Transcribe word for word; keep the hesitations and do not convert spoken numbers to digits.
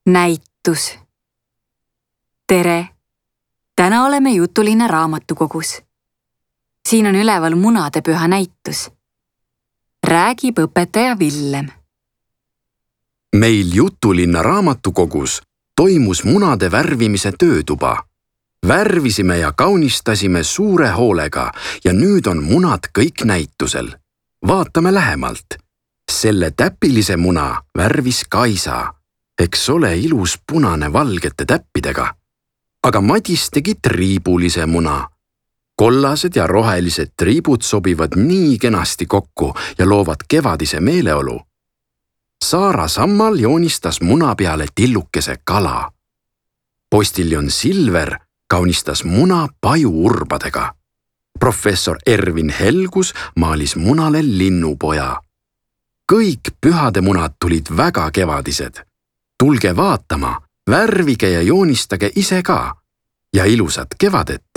näitus. Tere! Täna oleme Jutulinna raamatukogus. Siin on üleval munadepüha näitus. Räägib õpetaja Villem. Meil Jutulinna raamatukogus toimus munade värvimise töötuba. Värvisime ja kaunistasime suure hoolega ja nüüd on munad kõik näitusel. Vaatame lähemalt. Selle täpilise muna värvis Kaisa. Eks ole ilus punane valgete täppidega. Aga Madis tegi triibulise muna. Kollased ja rohelised triibud sobivad nii kenasti kokku ja loovad kevadise meeleolu. Saara Sammal joonistas muna peale tillukese kala. Postiljon Silver kaunistas muna pajuurbadega. Professor Ervin Helgus maalis munale linnupoja. Kõik pühade munad tulid väga kevadised. Tulge vaatama, värvige ja joonistage ise ka ja ilusat kevadet!